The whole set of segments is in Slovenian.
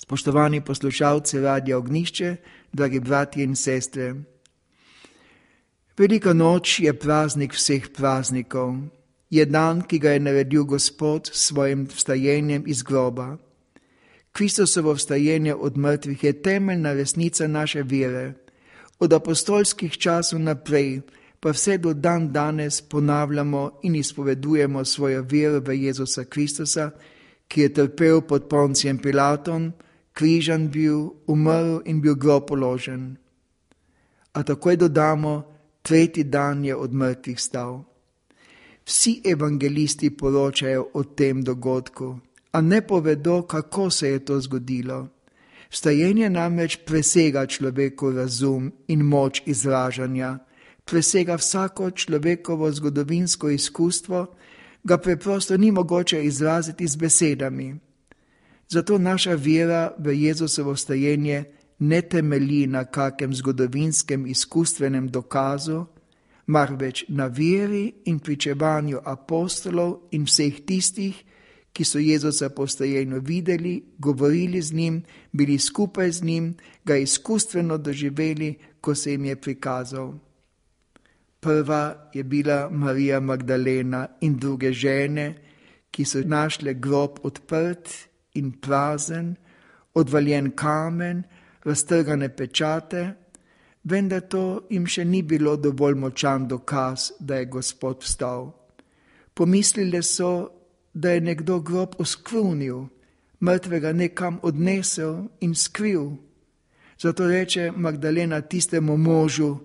Spoštovani poslušalci Radia Ognjišče, dragi bratje in sestre. Velika noč je praznik vseh praznikov. Je dan, ki ga je naredil Gospod s svojim vstajenjem iz groba. Kristusovo vstajenje od mrtvih je temeljna resnica naše vere. Od apostolskih časov naprej, pa vse do dan danes ponavljamo in izpovedujemo svojo vero v Jezusa Kristusa, ki je trpel pod Poncijem Pilatom, križan bil, umrl in bil grob položen. A takoj dodamo, tretji dan je od mrtvih stal. Vsi evangelisti poročajo o tem dogodku, a ne povedo, kako se je to zgodilo. Vstajenje namreč presega človekov razum in moč izražanja, presega vsako človekovo zgodovinsko izkustvo, ga preprosto ni mogoče izraziti z besedami. Zato naša vera v Jezusovo vstajenje ne temelji na kakem zgodovinskem izkustvenem dokazu, marveč na veri in pričevanju apostolov in vseh tistih, ki so Jezusa po vstajenju videli, govorili z njim, bili skupaj z njim, ga izkustveno doživeli, ko se jim je prikazal. Prva je bila Marija Magdalena in druge žene, ki so našle grob odprt in prazen, odvaljen kamen, raztrgane pečate, vendar to jim še ni bilo dovolj močan dokaz, da je Gospod vstal. Pomislile so, da je nekdo grob oskrunil, mrtvega nekam odnesel in skril. Zato reče Magdalena tistemu možu,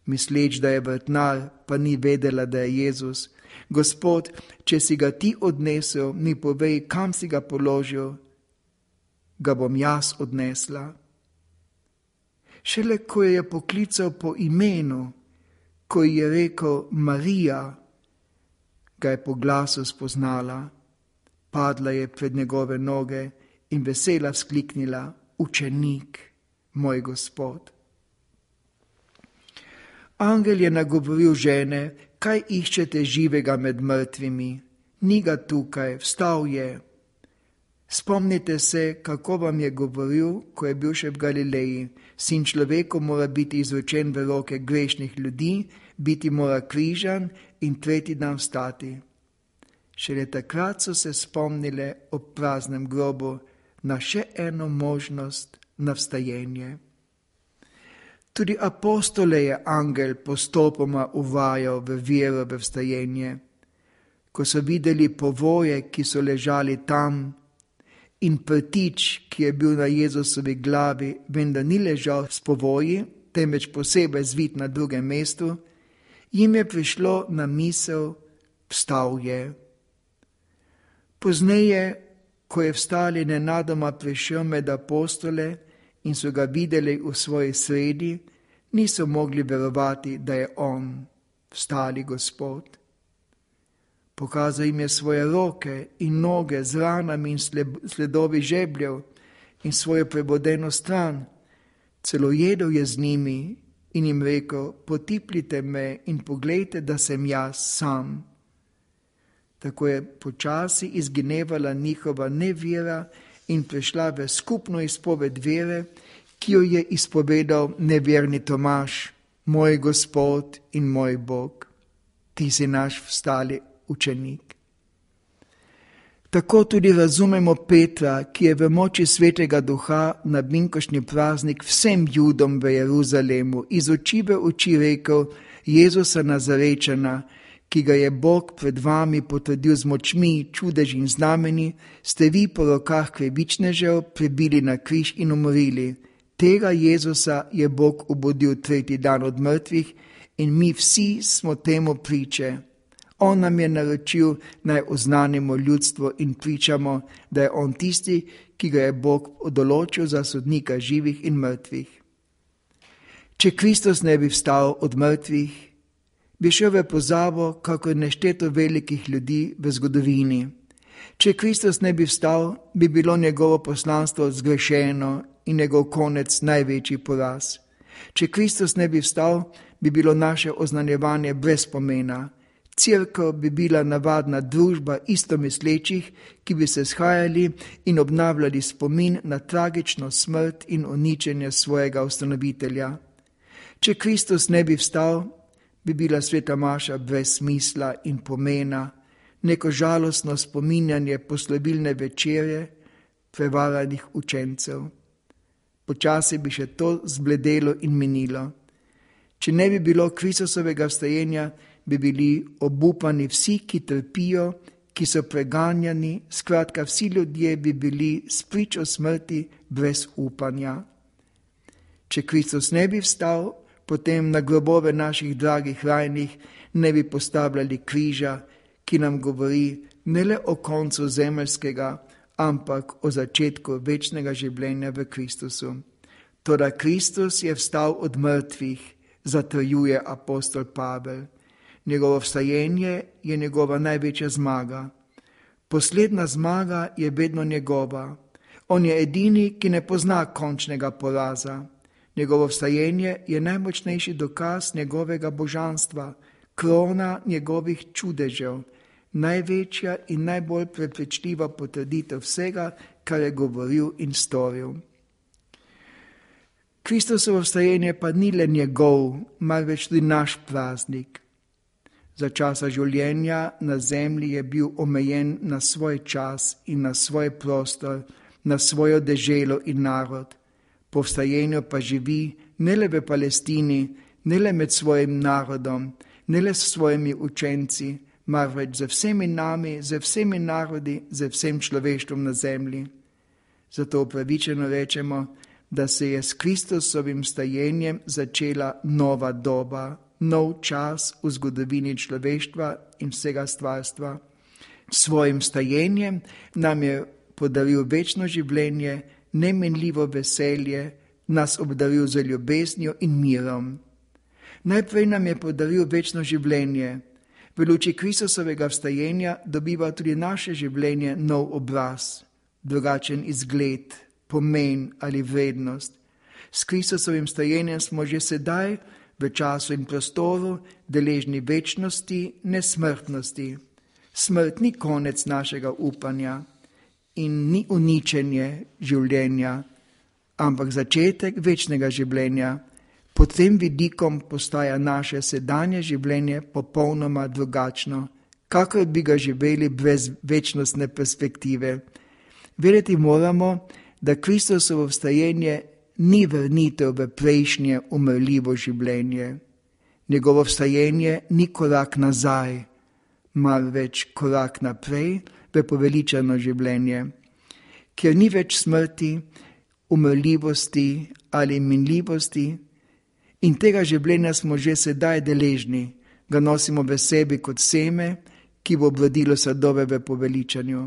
misleč, da je vrtnar, pa ni vedela, da je Jezus: Gospod, če si ga ti odnesel, mi povej, kam si ga položil, ga bom jaz odnesla. Šele ko je poklical po imenu, ko ji je rekel Marija, ga je po glasu spoznala. Padla je pred njegove noge in vesela vzkliknila: Učenik, moj Gospod. Angel je nagovoril žene: Kaj iščete živega med mrtvimi? Ni ga tukaj, vstal je. Spomnite se, kako vam je govoril, ko je bil še v Galileji: Sin človeku mora biti izročen v roke grešnih ljudi, biti mora križan in tretji dan vstati. Šele takrat so se spomnile ob praznem grobu na še eno možnost, na vstajenje. Tudi apostole je angel postopoma uvajal v vero v vstajenje. Ko so videli povoje, ki so ležali tam, in prtič, ki je bil na Jezusovi glavi, vendar ni ležal s povoji, temveč posebej zvit na drugem mestu, jim je prišlo na misel: Vstal je. Pozneje, ko je vstali, nenadoma prišel med apostole in so ga videli v svoji sredi, niso mogli verovati, da je on, vstali Gospod. Pokazal jim je svoje roke in noge z ranami in sledovi žebljev in svojo prebodeno stran. Celo jedel je z njimi in jim rekel: Potipljite me in poglejte, da sem jaz sam. Tako je počasi izginevala njihova nevera in prišla v skupno izpoved vere, ki jo je izpovedal neverni Tomaž: Moj Gospod in moj Bog, ti si naš vstali učenik. Tako tudi razumemo Petra, ki je v moči Svetega Duha na binkošnji praznik vsem Judom v Jeruzalemu iz oči v oči rekel: Jezusa Nazarečana, ki ga je Bog pred vami potrdil z močmi, čudeži in znameni, ste vi po rokah krivičnežev pribili na križ in umorili. Tega Jezusa je Bog obudil tretji dan od mrtvih in mi vsi smo temu priče. On nam je naročil, naj oznanimo ljudstvo in pričamo, da je on tisti, ki ga je Bog določil za sodnika živih in mrtvih. Če Kristus ne bi vstal od mrtvih, bi šel v pozabo, kakor nešteto velikih ljudi v zgodovini. Če Kristus ne bi vstal, bi bilo njegovo poslanstvo zgrešeno in njegov konec največji poraz. Če Kristus ne bi vstal, bi bilo naše oznanjevanje brez pomena. Cerkev bi bila navadna družba istomislečih, ki bi se shajali in obnavljali spomin na tragično smrt in uničenje svojega ustanovitelja. Če Kristus ne bi vstal, bi bila sveta maša brez smisla in pomena, neko žalostno spominjanje poslovilne večerje prevaranih učencev. Počasi bi še to zbledelo in minilo. Če ne bi bilo Kristusovega vstajenja, bi bili obupani vsi, ki trpijo, ki so preganjani, skratka vsi ljudje bi bili spričo smrti brez upanja. Če Kristus ne bi vstal, potem na grobove naših dragih rajnih ne bi postavljali križa, ki nam govori ne le o koncu zemeljskega, ampak o začetku večnega življenja v Kristusu. Toda Kristus je vstal od mrtvih, zatrjuje apostol Pavel. Njegovo vstajenje je njegova največja zmaga. Poslednja zmaga je vedno njegova. On je edini, ki ne pozna končnega poraza. Njegovo vstajenje je najmočnejši dokaz njegovega božanstva, krona njegovih čudežev, največja in najbolj prepričljiva potrditev vsega, kar je govoril in storil. Kristusovo vstajenje pa ni le njegov, marveč tudi naš praznik. Za časa življenja na zemlji je bil omejen na svoj čas in na svoj prostor, na svojo deželo in narod. Po vstajenju pa živi ne le v Palestini, ne le med svojim narodom, ne le s svojimi učenci, marveč z vsemi nami, z vsemi narodi, z vsem človeštvom na zemlji. Zato upravičeno rečemo, da se je s Kristusovim vstajenjem začela nova doba, nov čas v zgodovini človeštva in vsega stvarstva. S svojim vstajenjem nam je podaril večno življenje, nemenljivo veselje, nas obdaril z ljubeznijo in mirom. Najprej nam je podaril večno življenje. V luči Kristusovega vstajenja dobiva tudi naše življenje nov obraz, drugačen izgled, pomen ali vrednost. S Kristusovim vstajenjem smo že sedaj v času in prostoru deležni večnosti, nesmrtnosti. Smrt ni konec našega upanja in ni uničenje življenja, ampak začetek večnega življenja. Pod tem vidikom postaja naše sedanje življenje popolnoma drugačno, kakor bi ga živeli brez večnostne perspektive. Vedeti moramo, da Kristusovo vstajenje ni vrnitev v prejšnje umrljivo življenje. Njegovo vstajenje ni korak nazaj, marveč korak naprej v poveličano življenje, kjer ni več smrti, umrljivosti ali minljivosti. In tega življenja smo že sedaj deležni, ga nosimo v sebi kot seme, ki bo obrodilo sadove v poveličanju.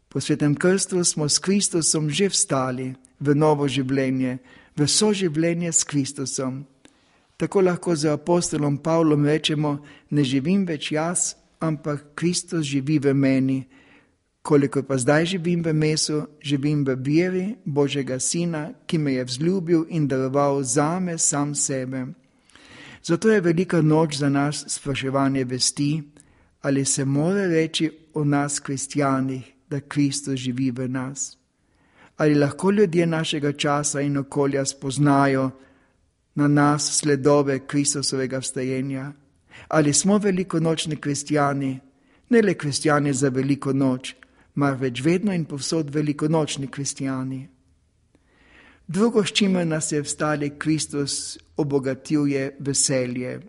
Po svetem krstu smo s Kristusom že vstali v novo življenje, v soživljenje s Kristusom. Tako lahko z apostolom Pavlom rečemo, ne živim več jaz, ampak Kristus živi v meni. Koliko pa zdaj živim v mesu, živim v veri Božjega Sina, ki me je vzljubil in daroval zame sam sebe. Zato je velika noč za nas spraševanje vesti, ali se mora reči o nas kristjanih, da Kristus živi v nas. Ali lahko ljudje našega časa in okolja spoznajo na nas sledove Kristusovega vstajenja? Ali smo velikonočni kristjani, ne le kristjani za veliko noč, marveč vedno in povsod velikonočni kristjani? Drugo, s čimer nas je vstali Kristus, obogatil je veselje.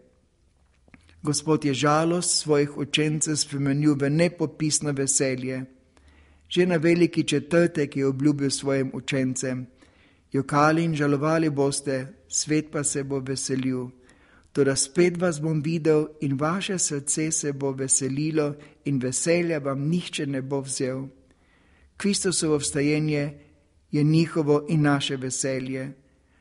Gospod je žalost svojih učencev spremenil v nepopisno veselje. Že na veliki četrtek je obljubil svojim učencem: jokali in žalovali boste, svet pa se bo veselil. Toda spet vas bom videl in vaše srce se bo veselilo in veselja vam nihče ne bo vzel. Kristusovo vstajenje je njihovo in naše veselje.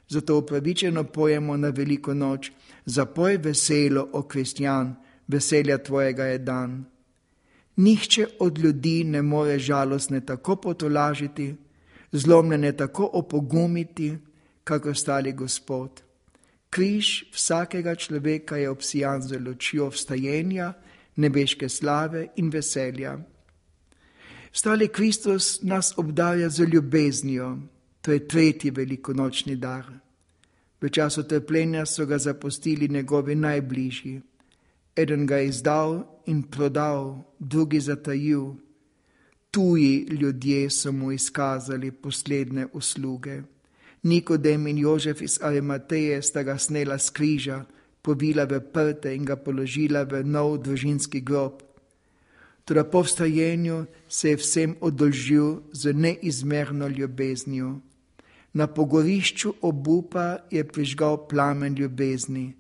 Zato upravičeno pojemo na veliko noč: zapoj veselo, o kristjan, veselja tvojega je dan. Nihče od ljudi ne more žalostne tako potolažiti, zlomljene tako opogumiti, kakor stari Gospod. Križ vsakega človeka je obsijan z lučjo vstajenja, nebeške slave in veselja. Vstali Kristus nas obdarja z ljubeznijo, to je tretji velikonočni dar. V času trpljenja so ga zapustili njegovi najbližji. Eden ga je izdal in prodal, drugi zatajil. Tuji ljudje so mu izkazali posledne usluge. Nikodem in Jožef iz Arimateje sta ga snela s križa, povila v prte in ga položila v nov družinski grob. Toda po vstajenju se je vsem oddolžil z neizmerno ljubeznijo. Na pogorišču obupa je prižgal plamen ljubezni.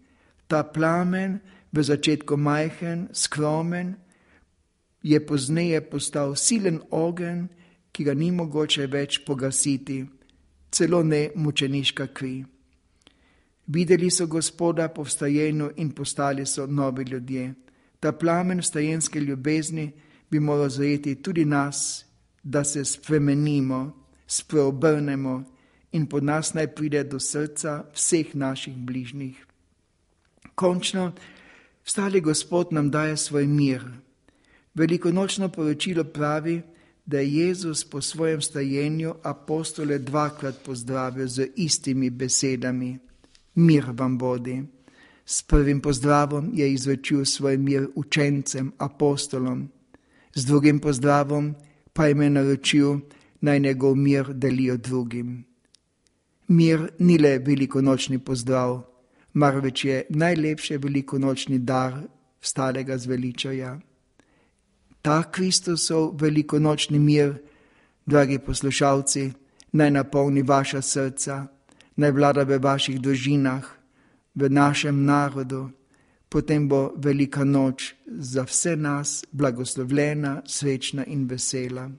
Ta plamen, v začetku majhen, skromen, je pozneje postal silen ogenj, ki ga ni mogoče več pogasiti, celo ne mučeniška kri. Videli so Gospoda po vstajenju in postali so novi ljudje. Ta plamen vstajenske ljubezni bi moral zajeti tudi nas, da se spremenimo, spreobrnemo in po nas naj pride do srca vseh naših bližnjih. Končno, vstali Gospod nam daje svoj mir. Velikonočno poročilo pravi, da je Jezus po svojem vstajenju apostole dvakrat pozdravil z istimi besedami. Mir vam bodi. S prvim pozdravom je izrečil svoj mir učencem, apostolom. Z drugim pozdravom pa jim je naročil, naj njegov mir delijo drugim. Mir ni le velikonočni pozdrav, marveč je najlepši velikonočni dar vstalega zveličaja. Ta Kristusov velikonočni mir, dragi poslušalci, naj napolni vaša srca, naj vlada v vaših družinah, v našem narodu. Potem bo velika noč za vse nas blagoslovljena, srečna in vesela.